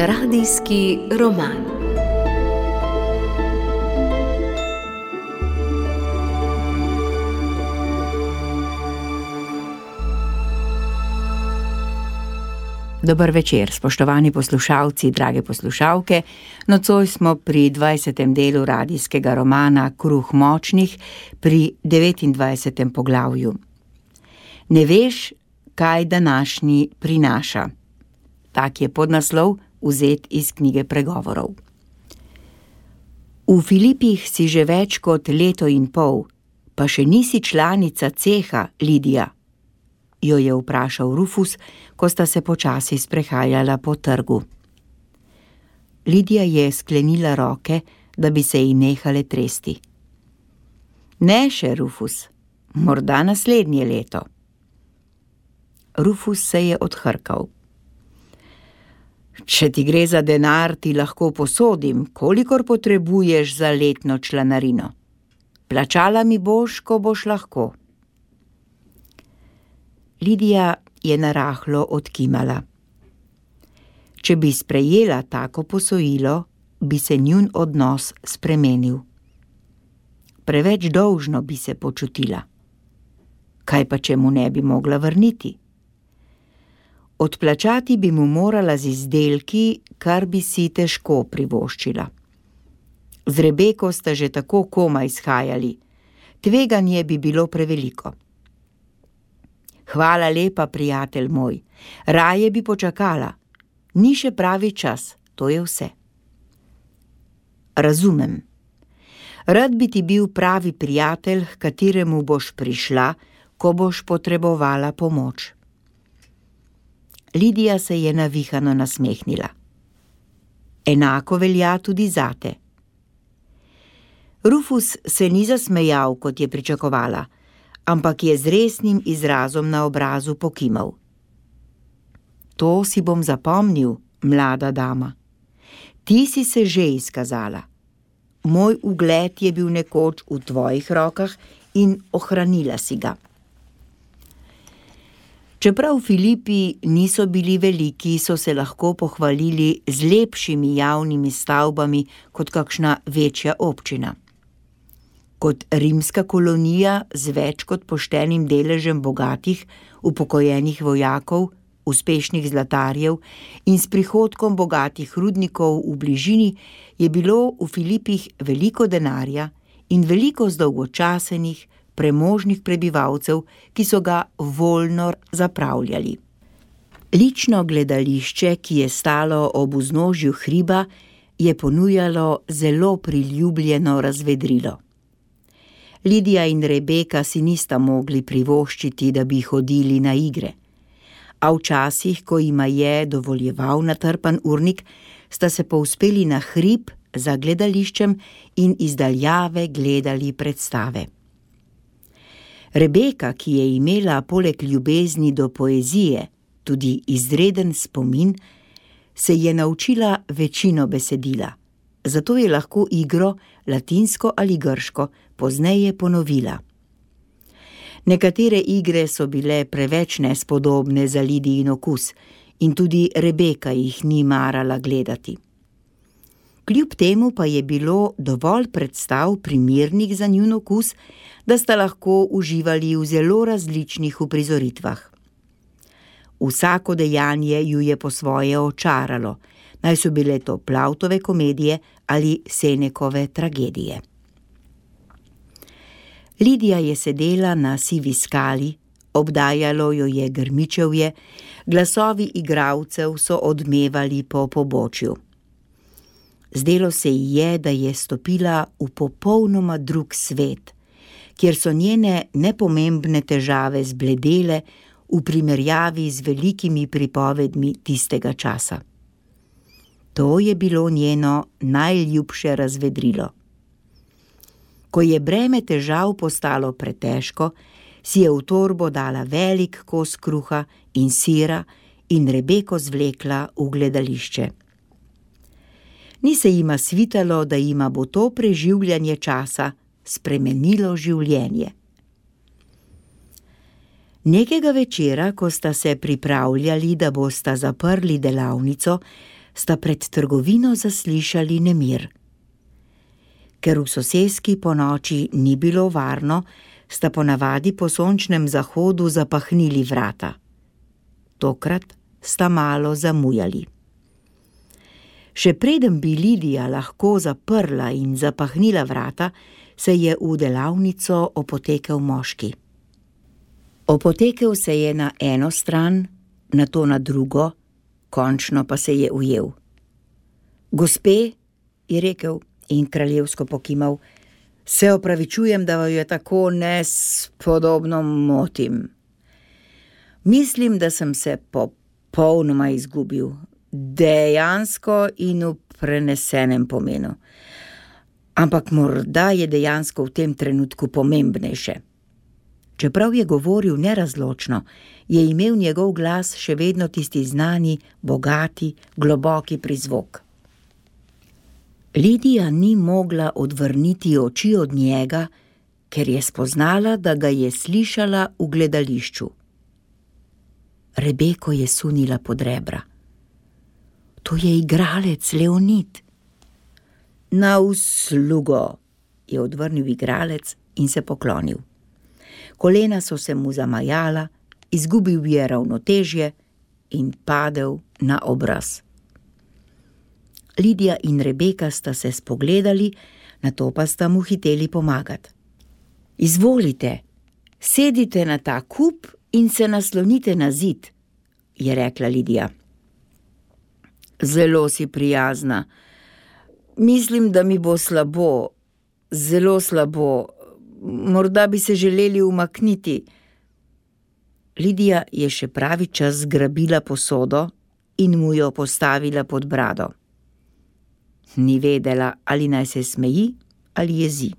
Radijski roman. Dober večer, spoštovani poslušalci, drage poslušalke. Nocoj smo pri 20. delu radijskega romana Kruh močnih, pri 29. poglavju. Ne veš, kaj današnji prinaša. Tak je podnaslov, vzet iz knjige Pregovorov. V Filipih si že več kot leto in pol, pa še nisi članica ceha, Lidija, jo je vprašal Rufus, ko sta se počasi sprehajala po trgu. Lidija je sklenila roke, da bi se ji nehale tresti. Ne še, Rufus, morda naslednje leto. Rufus se je odhrkal. Če ti gre za denar, ti lahko posodim, kolikor potrebuješ za letno članarino. Plačala mi boš, ko boš lahko. Lidija je narahlo odkimala. Če bi sprejela tako posojilo, bi se njun odnos spremenil. Preveč dolžno bi se počutila. Kaj pa, če mu ne bi mogla vrniti? Odplačati bi mu morala z izdelki, kar bi si težko privoščila. Z Rebeko sta že tako komaj shajali. Tveganje bi bilo preveliko. Hvala lepa, prijatelj moj. Raje bi počakala. Ni še pravi čas, to je vse. Razumem. Rad bi ti bil pravi prijatelj, h kateremu boš prišla, ko boš potrebovala pomoč. Lidija se je navihano nasmehnila. Enako velja tudi zate. Rufus se ni zasmejal, kot je pričakovala, ampak je z resnim izrazom na obrazu pokimal. To si bom zapomnil, mlada dama. Ti si se že izkazala. Moj ugled je bil nekoč v tvojih rokah in ohranila si ga. Čeprav Filipi niso bili veliki, so se lahko pohvalili z lepšimi javnimi stavbami kot kakšna večja občina. Kot rimska kolonija z več kot poštenim deležem bogatih, upokojenih vojakov, uspešnih zlatarjev in s prihodkom bogatih rudnikov v bližini je bilo v Filipih veliko denarja in veliko zdolgočasenih, premožnih prebivalcev, ki so ga voljno zapravljali. Lično gledališče, ki je stalo ob vznožju hriba, je ponujalo zelo priljubljeno razvedrilo. Lidija in Rebeka si nista mogli privoščiti, da bi hodili na igre. A včasih, ko jima je dovoljeval natrpan urnik, sta se povzpeli na hrib za gledališčem in iz daljave gledali predstave. Rebeka, ki je imela poleg ljubezni do poezije tudi izreden spomin, se je naučila večino besedila, zato je lahko igro, latinsko ali grško, pozneje ponovila. Nekatere igre so bile preveč nespodobne za Lidijin okus in tudi Rebeka jih ni marala gledati. Kljub temu pa je bilo dovolj predstav primernih za njun okus, da sta lahko uživali v zelo različnih uprizoritvah. Vsako dejanje ju je po svoje očaralo, naj so bile to Plautove komedije ali Senekove tragedije. Lidija je sedela na sivi skali, obdajalo jo je grmičevje, glasovi igralcev so odmevali po pobočju. Zdelo se ji je, da je stopila v popolnoma drug svet, kjer so njene nepomembne težave zbledele v primerjavi z velikimi pripovedmi tistega časa. To je bilo njeno najljubše razvedrilo. Ko je breme težav postalo pretežko, si je v torbo dala velik kos kruha in sira in Rebeko zvlekla v gledališče. Ni se jima svitalo, da jima bo to preživljanje časa spremenilo življenje. Nekega večera, ko sta se pripravljali, da bosta zaprli delavnico, sta pred trgovino zaslišali nemir. Ker v soseski po noči ni bilo varno, sta ponavadi po sončnem zahodu zapahnili vrata. Tokrat sta malo zamujali. Še preden bi Lidija lahko zaprla in zapahnila vrata, se je v delavnico opotekel moški. Opotekel se je na eno stran, nato na drugo, končno pa se je ujel. Gospe, je rekel in kraljevsko pokimal, se opravičujem, da vaju tako nespodobno motim. Mislim, da sem se popolnoma izgubil, dejansko in v prenesenem pomenu. Ampak morda je dejansko v tem trenutku pomembnejše. Čeprav je govoril nerazločno, je imel njegov glas še vedno tisti znani, bogati, globoki prizvok. Lidija ni mogla odvrniti oči od njega, ker je spoznala, da ga je slišala v gledališču. Rebeko je sunila pod rebra. To je igralec Leonid. Na uslugo, je odvrnil igralec in se poklonil. Kolena so se mu zamajala, izgubil je ravnotežje in padel na obraz. Lidija in Rebeka sta se spogledali, nato pa sta mu hiteli pomagati. Izvolite, sedite na ta kup in se naslonite na zid, je rekla Lidija. Zelo si prijazna. Mislim, da mi bo slabo, zelo slabo. Morda bi se želeli umakniti. Lidija je še pravi čas zgrabila posodo in mu jo postavila pod brado. Ni vedela, ali naj se smeji ali jezi.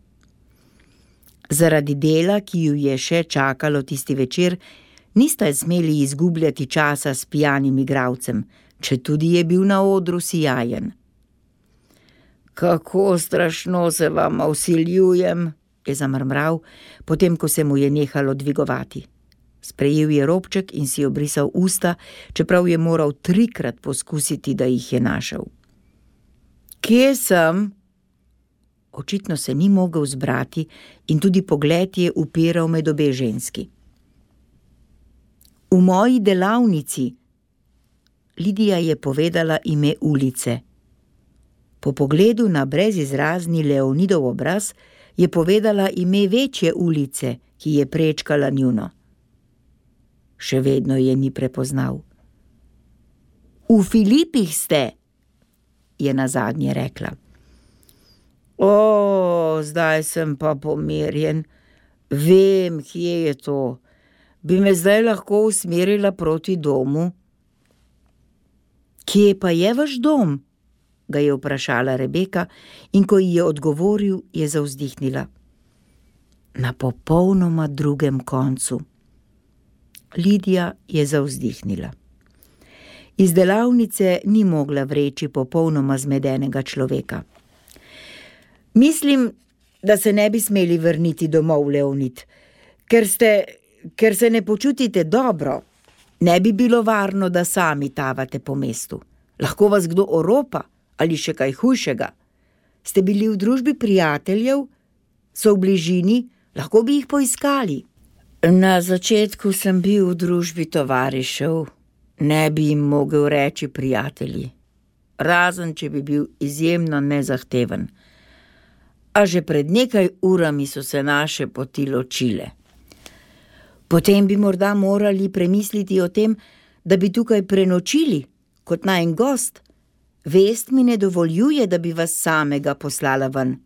Zaradi dela, ki ju je še čakalo tisti večer, nista smeli izgubljati časa s pijanim igralcem, četudi je bil na odru sijajen. Kako strašno se vama vsiljujem, je zamrmral, potem ko se mu je nehalo dvigovati. Sprejel je robček in si obrisal usta, čeprav je moral 3-krat poskusiti, da jih je našel. Kje sem? Očitno se ni mogel zbrati in tudi pogled je upiral med obe ženski. V moji delavnici. Lidija je povedala ime ulice. Po pogledu na brezizrazni Leonidov obraz je povedala ime večje ulice, ki je prečkala njuno. Še vedno je ni prepoznal. V Filipih ste, je nazadnje rekla. O, zdaj sem pa pomirjen. Vem, kje je to. Bi me zdaj lahko usmerila proti domu? Kje pa je vaš dom? Ga je vprašala Rebeka in ko ji je odgovoril, je zavzdihnila. Na popolnoma drugem koncu. Lidija je zavzdihnila. Iz delavnice ni mogla vreči popolnoma zmedenega človeka. Mislim, da se ne bi smeli vrniti domov, Leonid, ker se ne počutite dobro. Ne bi bilo varno, da sami tavate po mestu. Lahko vas kdo oropa ali še kaj hujšega. Ste bili v družbi prijateljev? So v bližini? Lahko bi jih poiskali. Na začetku sem bil v družbi tovarišev. Ne bi jim mogel reči prijatelji. Razen, če bi bil izjemno nezahteven. A že pred nekaj urami so se naše poti ločile. Potem bi morda morali premisliti o tem, da bi tukaj prenočili, kot najin gost. Vest mi ne dovoljuje, da bi vas samega poslala ven.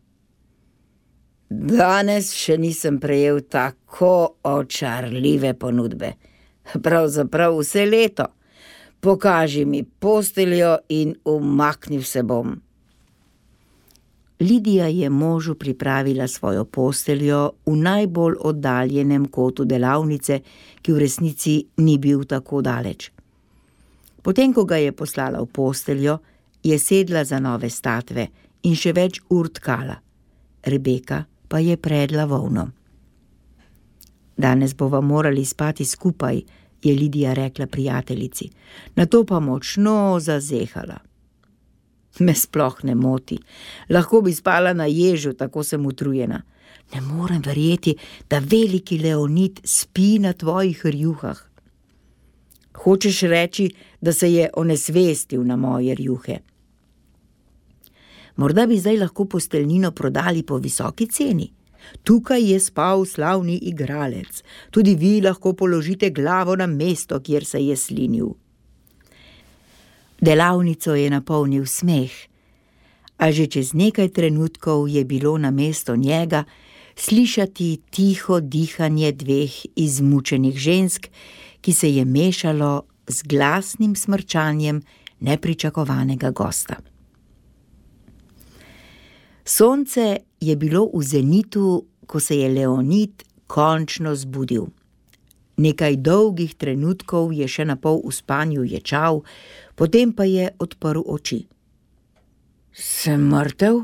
Danes še nisem prejel tako očarljive ponudbe. Pravzaprav vse leto. Pokaži mi posteljo in umaknil se bom. Lidija je možu pripravila svojo posteljo v najbolj oddaljenem kotu delavnice, ki v resnici ni bil tako daleč. Potem, ko ga je poslala v posteljo, je sedla za nove statve in še več ur tkala. Rebeka pa je predla volno. Danes bova morali spati skupaj, je Lidija rekla prijateljici, nato pa močno zazehala. Me sploh ne moti. Lahko bi spala na ježu, tako sem utrujena. Ne morem verjeti, da veliki Leonid spi na tvojih rjuhah. Hočeš reči, da se je onesvestil na moje rjuhe? Morda bi zdaj lahko posteljnino prodali po visoki ceni. Tukaj je spal slavni igralec. Tudi vi lahko položite glavo na mesto, kjer se je slinil. Delavnico je napolnil smeh, a že čez nekaj trenutkov je bilo na mesto njega slišati tiho dihanje dveh izmučenih žensk, ki se je mešalo z glasnim smrčanjem nepričakovanega gosta. Sonce je bilo v zenitu, ko se je Leonid končno zbudil. Nekaj dolgih trenutkov je še napol v spanju ječal, potem pa je odprl oči. Sem mrtev?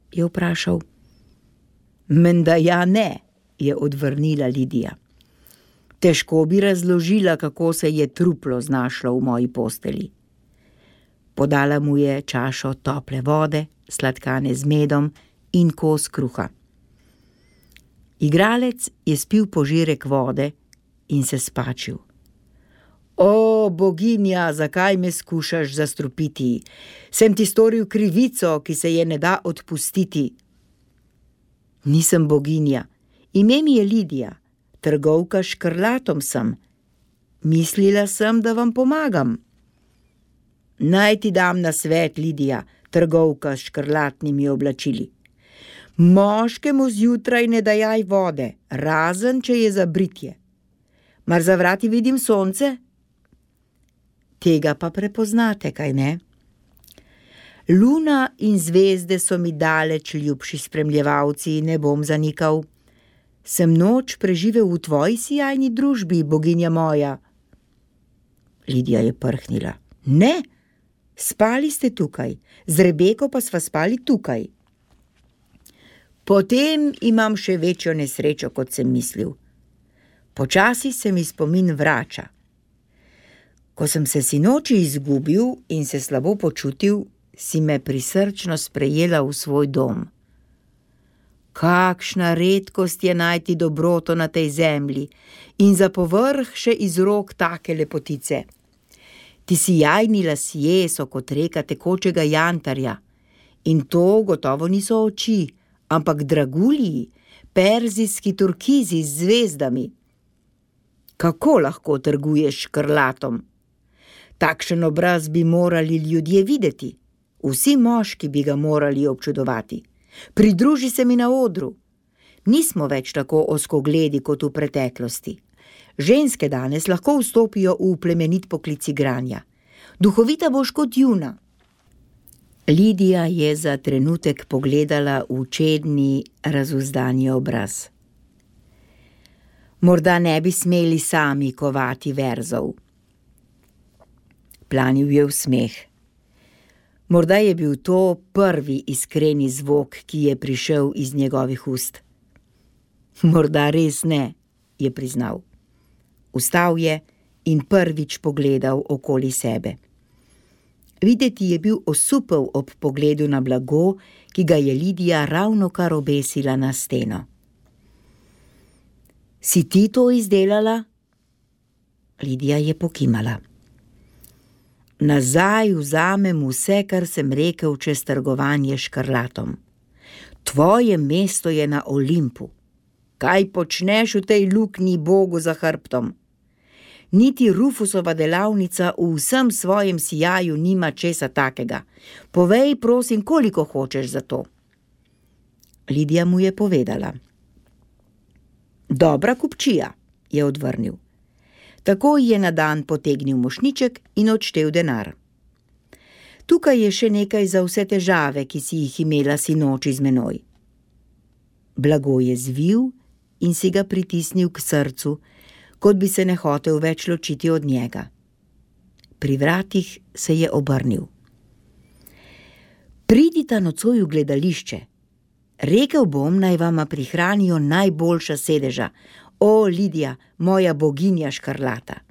Je vprašal. Menda ja ne, je odvrnila Lidija. Težko bi razložila, kako se je truplo znašlo v moji posteli. Podala mu je čašo tople vode, sladkane z medom in kos kruha. Igralec je spil požirek vode in se spačil. O, boginja, zakaj me skušaš zastrupiti? Sem ti storil krivico, ki se je ne da odpustiti. Nisem boginja, ime mi je Lidija, trgovka s škrlatom sem. Mislila sem, da vam pomagam. Naj ti dam nasvet, Lidija, trgovka s škrlatnimi oblačili. Moškemu zjutraj ne dajaj vode, razen če je za britje. Mar za vrati vidim sonce? Tega pa prepoznate, kaj ne? Luna in zvezde so mi daleč ljubši spremljevalci, ne bom zanikal. Sem noč preživel v tvoji sijajni družbi, boginja moja. Lidija je prhnila. Ne, spali ste tukaj, z Rebeko pa sva spali tukaj. Potem imam še večjo nesrečo, kot sem mislil. Počasi se mi spomin vrača. Ko sem se sinoči izgubil in se slabo počutil, si me prisrčno sprejela v svoj dom. Kakšna redkost je najti dobroto na tej zemlji in za povrh še iz rok take lepotice. Ti sijajni lasje so kot reka tekočega jantarja in to gotovo niso oči, ampak dragulji, perzijski turkizi z zvezdami. Kako lahko trguješ škrlatom? Takšen obraz bi morali ljudje videti. Vsi moški bi ga morali občudovati. Pridruži se mi na odru. Nismo več tako ozkogledi kot v preteklosti. Ženske danes lahko vstopijo v plemenit poklic igranja. Duhovita boš kot Juna. Lidija je za trenutek pogledala v čedni, razuzdani obraz. Morda ne bi smeli sami kovati verzov. Planil je v smeh. Morda je bil to prvi iskreni zvok, ki je prišel iz njegovih ust. Morda res ne, je priznal. Vstal je in prvič pogledal okoli sebe. Videti je bil osupel ob pogledu na blago, ki ga je Lidija ravnokar obesila na steno. Si ti to izdelala? Lidija je pokimala. Nazaj vzamem vse, kar sem rekel čez trgovanje s škrlatom. Tvoje mesto je na Olimpu. Kaj počneš v tej luknji Bogu za hrbtom? Niti Rufusova delavnica v vsem svojem sijaju nima česa takega. Povej, prosim, koliko hočeš za to. Lidija mu je povedala. Dobra kupčija, je odvrnil. Takoj je na dan potegnil mošnjiček in odštel denar. Tukaj je še nekaj za vse težave, ki si jih imela sinoči z menoj. Blago je zvil in si ga pritisnil k srcu, kot bi se ne hotel več ločiti od njega. Pri vratih se je obrnil. Pridita nocoj v gledališče. Rekel bom, naj vama prihranijo najboljša sedeža. O, Lidija, moja boginja škrlata.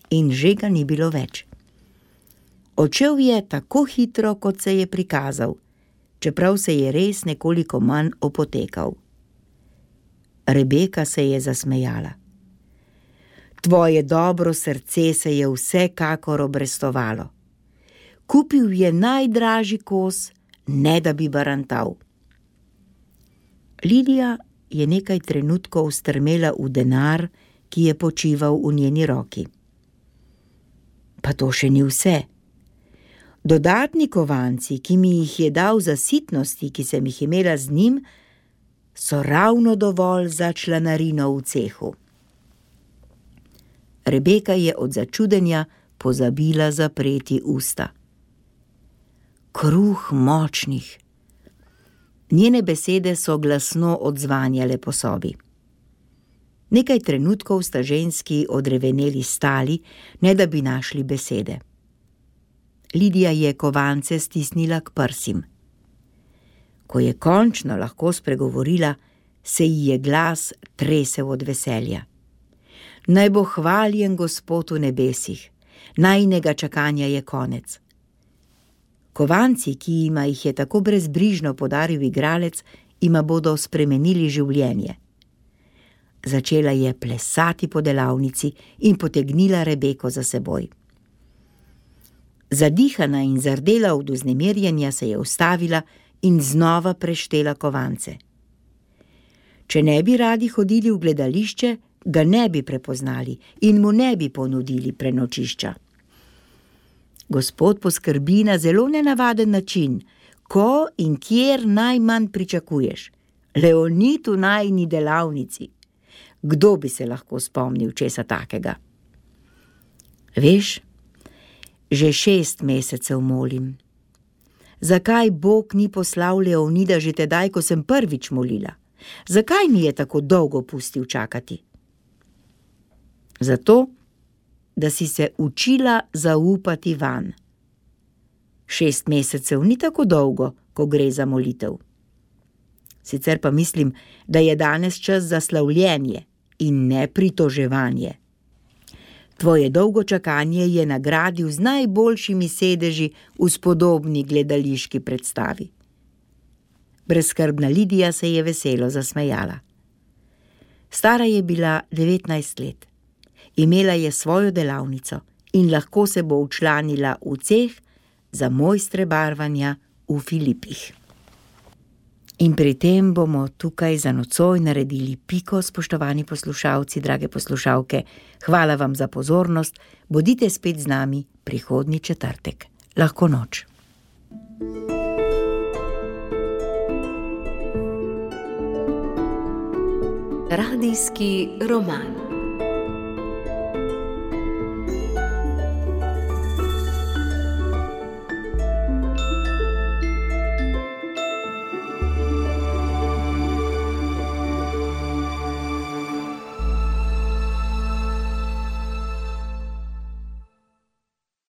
In že ga ni bilo več. Odšel je tako hitro, kot se je prikazal, čeprav se je res nekoliko manj opotekal. Rebeka se je zasmejala. Tvoje dobro srce se je vsekakor obrestovalo. Kupil je najdražji kos, ne da bi barantal. Lidija je nekaj trenutkov strmela v denar, ki je počival v njeni roki. Pa to še ni vse. Dodatni kovanci, ki mi jih je dal za sitnosti, ki sem jih imela z njim, so ravno dovolj za članarino v cehu. Rebeka je od začudenja pozabila zapreti usta. Kruh močnih. Njene besede so glasno odzvanjale po sobi. Nekaj trenutkov sta ženski odreveneli stali, ne da bi našli besede. Lidija je kovance stisnila k prsim. Ko je končno lahko spregovorila, se ji je glas tresel od veselja. Naj bo hvaljen Gospod v nebesih, najinega čakanja je konec. Kovanci, ki jima jih je tako brezbrižno podaril igralec, ima bodo spremenili življenje. Začela je plesati po delavnici in potegnila Rebeko za seboj. Zadihana in zardela od vznemirjenja se je ustavila in znova preštela kovance. Če ne bi radi hodili v gledališče, ga ne bi prepoznali in mu ne bi ponudili prenočišča. Gospod poskrbi na zelo nenavaden način, ko in kjer najmanj pričakuješ. Leonid v najini delavnici. Kdo bi se lahko spomnil česa takega? Veš, že 6 mesecev molim. Zakaj Bog ni poslal Leonida že tedaj, ko sem prvič molila? Zakaj mi je tako dolgo pustil čakati? Zato, da si se učila zaupati vanj. 6 mesecev ni tako dolgo, ko gre za molitev. Sicer pa mislim, da je danes čas za slavljenje in ne pritoževanje. Tvoje dolgo čakanje je nagradil z najboljšimi sedeži v spodobni gledališki predstavi. Brezskrbna Lidija se je veselo zasmejala. Stara je bila 19 let. Imela je svojo delavnico in lahko se bo včlanila v ceh za mojstre barvanja v Filipih. In pri tem bomo tukaj za nocoj naredili piko, spoštovani poslušalci, drage poslušalke. Hvala vam za pozornost, bodite spet z nami prihodnji četrtek. Lahko noč. Radijski roman.